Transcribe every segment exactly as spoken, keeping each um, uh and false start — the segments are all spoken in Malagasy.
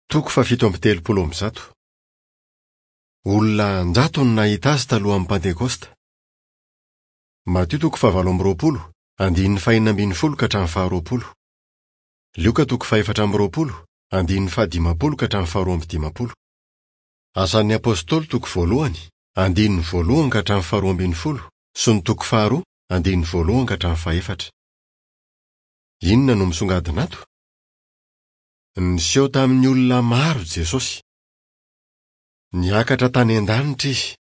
Toko fahafito amby telopolo amby zato. Olona an-jatony nahita azy talohan'ny Pantekosta. Matio toko fahavalo amby roapolo, andininy fahenina ambin'ny folo ka hatramin'ny faharoapolo. Lioka toko fahefatra amby roapolo, andininy fahadimampolo ka hatramin'ny faharoa amby dimampolo. Asan'ny Apôstôly toko voalohany, andininy voalohany ka hatramin'ny faharoa ambin'ny folo sy ny toko faharoa, andininy voalohany ka hatramin'ny fahefatra. Inona no misongadina ato? Niseho tamin'ny olona maro Jesosy. Niakatra tany an-danitra izy.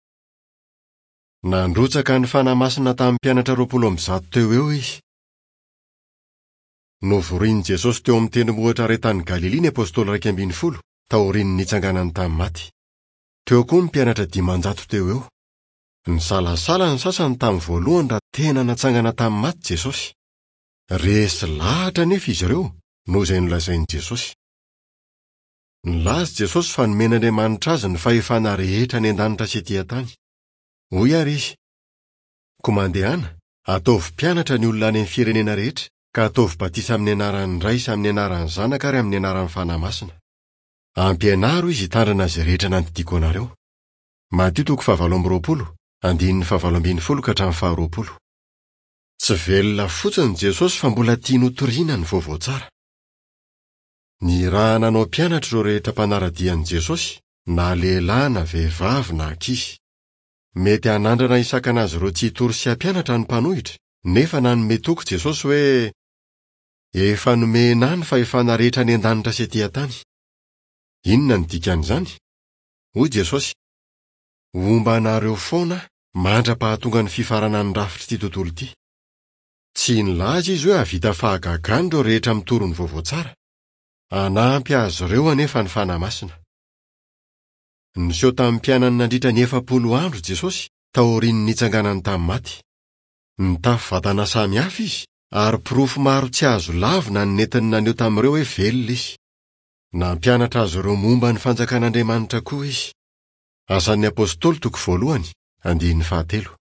Nandrotsaka ny Fanahy Masina tamin'ny mpianatra roapolo amby zato teo eo izy. Novorian'i Jesosy teo amin'ny tendrombohitra iray tany Galilia ny apôstôly iraika ambin'ny folo taorian'ny nitsanganany tamin'ny maty. Teo koa ny mpianatra dimanjato teo eo. Nisalasala ny sasany tamin'ny voalohany raha tena natsangana tamin'ny maty Jesosy. Resy lahatra anefa izy ireo noho izay nolazain'i Jesosy. Nilaza Jesosy fa nomen'Andriamanitra azy ny fahefana rehetra any an-danitra sy ety an-tany. Hoy ary izy: Koa mandehana, ataovy mpianatra ny olona any amin'ny firenena rehetra, ka ataovy batisa amin'ny anaran'ny Ray sy amin'ny anaran'ny Zanaka ary amin'ny anaran'ny Fanahy Masina. Ampianaro izy hitandrina izay rehetra nandidiako anareo. Matio toko fahavalo amby roapolo, andininy fahavalo ambin'ny folo ka hatramin'ny faharoapolo. Tsy velona fotsiny Jesosy fa mbola tiany hotorina ny vaovao tsara. Nirahana hanao mpianatra ireo rehetra mpanara-dia an'i Jesosy, na lehilahy na vehivavy na ankizy. Mety hanandrana hisakana azy ireo tsy hitory sy hampianatra ny mpanohitra, nefa nanome toky Jesosy hoe efa nomena ahy ny fahefana rehetra any an-danitra sy ety an-tany. Inona no dikan'izany? Hoy Jesosy: Homba anareo foana aho mandra-pahatonga ny fifaranan'ny rafitr'ity tontolo ity. Tsy nilaza izy hoe hahavita fahagagana ireo rehetra mitory ny vaovao tsara. Hanampy azy ireo anefa ny Fanahy Masina. Niseho tamin'ny mpianany nandritra ny efapolo andro Jesosy taorian'ny nitsanganany tamin'ny maty. Nitafy vatana samihafa izy ary porofo maro tsy azo lavina ny nentiny naneho tamin'ireo hoe velona izy. Nampianatra azy ireo momba ny fanjakan'Andriamanitra koa izy. Asan'ny Apôstôly toko voalohany, andininy fahatelo.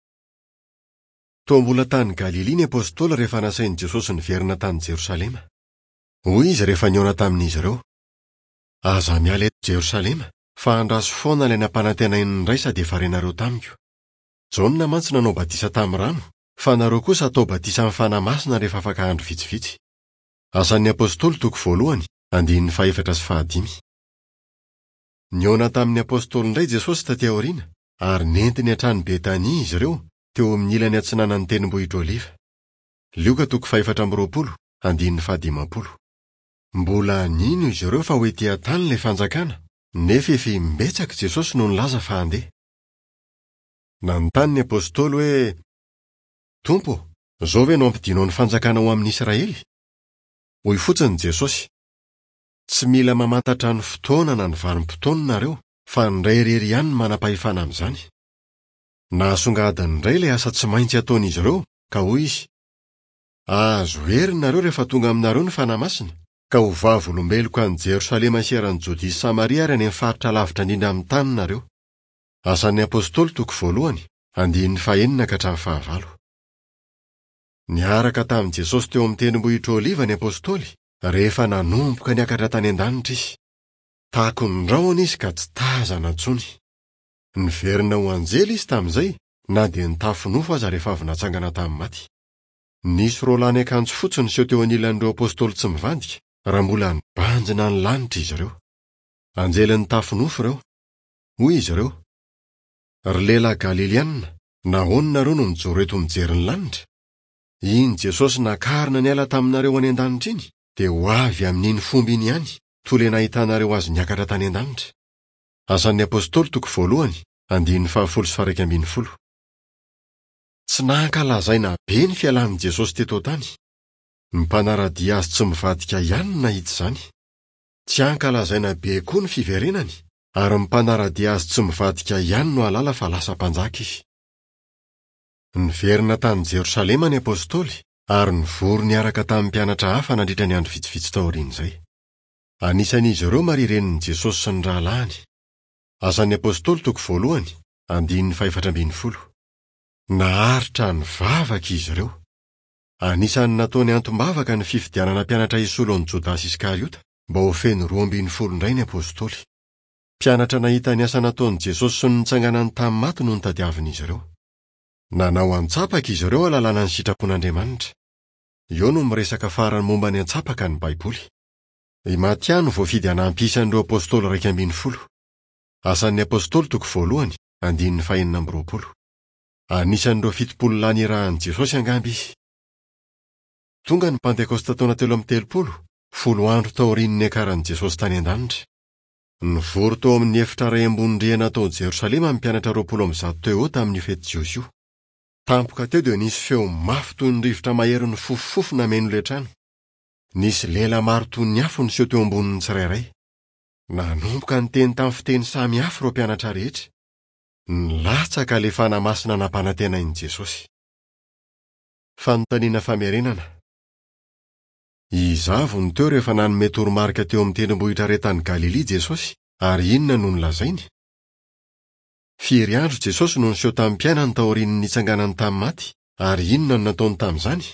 Toa mbola tany Galilia ny apôstôly rehefa nasain'i Jesosy niverina tany Jerosalema. Hoy izy rehefa nihaona tamin'izy ireo: Aza miala eto Jerosalema, fa andraso foana ilay nampanantenain'ny Ray sady efa renareo tamiko. Jaona mantsy nanao batisa tamin'ny rano, fa nareo kosa atao batisa amin'ny Fanahy Masina rehefa afaka andro vitsivitsy. Asan'ny Apôstôly toko voalohany, andininy fahefatra sy fahadimy. Nihaona tamin'ny apôstôly indray Jesosy taty aoriana, ary nentiny hatrany Betania izy ireo, teo amin'ny ilany atsinanan'ny tendrombohitra Oliva. Lioka toko fahefatra amby roapolo, andininy fahadimampolo. Mbola nino izy ireo fa ho ety an-tany ilay fanjakana, nefa efa imbetsaka Jesosy no nilaza fa handeha. Nanontany ny apôstôly hoe: Tompo, izao ve no ampidinao ny fanjakana ho amin'ny Israely? Hoy fotsiny Jesosy: Tsy mila mamantatra ny fotoana na ny vanim-potoana nareo, fa ny Ray irery ihany no manam-pahefana amin'izany. Nahasongadina indray ilay asa tsy maintsy ataon'izy ireo, ka hoy izy: Azo hery nareo rehefa tonga aminareo ny Fanahy Masina, ka ho vavolombeloko any Jerosalema sy eran'i Jodia sy Samaria ary any amin'ny faritra lavitra indrindra amin'ny tany nareo. Asan'ny Apôstôly toko voalohany, andininy fahenina ka hatramin'ny fahavalo. Niaraka tamin'i Jesosy teo amin'ny tendrombohitra Oliva ny apôstôly rehefa nanomboka niakatra tany an-danitra izy. Takon'ny rahona izy ka tsy tazana intsony. Niverina ho anjely izy tamin'izay, na dia nitafy nofo aza rehefa avy natsangana tamin'ny maty. Nisy roa lahy niakanjo fotsy niseho teo anilan'ireo apôstôly tsy mivadika raha mbola nibanjina ny lanitra izy ireo. Anjely nitafy nofo ireo. Hoy izy ireo: Ry lehilahy Galilianina, nahoana nareo no mijoro eto mijery ny lanitra? Iny Jesosy nakarina niala taminareo any an-danitra iny, dia ho avy amin'iny fomba iny ihany, toy ilay nahitanareo azy niakatra tany an-danitra. Asan'ny Apôstôly toko voalohany, andininy fahafolo sy faha-iraika ambin'ny folo. Tsy nankalazaina be ny fialan'i Jesosy teto an-tany. Ny mpanara-dia azy tsy mivadika ihany no nahita izany. Tsy ankalazaina be koa ny fiverenany, ary ny mpanara-dia azy tsy mivadika ihany no hahalala fa lasa mpanjaka izy. Niverina tany Jerosalema ny apôstôly ary nivory niaraka tamin'ny mpianatra hafa nandritra ny andro vitsivitsy taorian'izay. Anisan'izy ireo Maria renin'i Jesosy sy ny rahalahiny. Asan'ny Apôstôly toko voalohany, andininy fahefatra ambin'ny folo. Naharitra nivavaka izy ireo. Anisan'ny nataony antom-bavaka ny fifidianana mpianatra hisolo an'i Jodasy Iskariota mba ho feno roa ambin'ny folo indray ny apostoly. Mpianatra nahita ny asa nataon'i Jesosy sy ny nitsanganany tamin'ny maty no notadiavin'izy ireo. Nanao antsapaka izy ireo ahalalana ny sitrapon'Andriamanitra. Eo no miresaka farany momba ny antsapaka ny Baiboly. I Matia no voafidy hanampy isan'ireo apostoly iraika ambin'ny folo. Asan'ny apostoly toko voalohany, andininy fahenina amby roapolo. Anisan'ireo fitopolo lahy nirahan'i Jesosy angamba izy. Tonga ny Pantekosta taona telo amby telopolo, folo andro taorian'ny niakaran'i Jesosy tany an-danitra. Nivory tao amin'ny efitra iray ambony rihana tao Jerosalema ny mpianatra roapolo amby zato teo eo tamin'io fety jiosy io. Tampoka teo dia nisy feo mafy toy ny rivotra mahery nifofofofo nameno ilay trano. Nisy lela maro toy ny afo niseho teo ambonin'ny tsirairay. Nanomboka niteny tamin'ny fiteny samy hafa ireo mpianatra rehetra. Nilatsaka ilay Fanahy Masina nampanantenain'i Jesosy. Fanontaniana famerenana. Iza avy no teo rehefa nanome toromarika teo amin'ny tendrombohitra iray tany Galilia Jesosy, ary inona no nolazainy? Firy andro Jesosy no niseho tamin'ny mpianany taorian'ny nitsanganany tamin'ny maty, ary inona no nataony tamin'izany?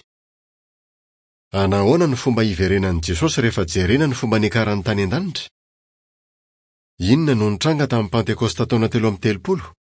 Anahoana ny fomba hiverenan'i Jesosy rehefa jerena ny fomba niakarany tany an-danitra? Inona no nitranga tamin'ny Pantekosta taona telo amby telopolo?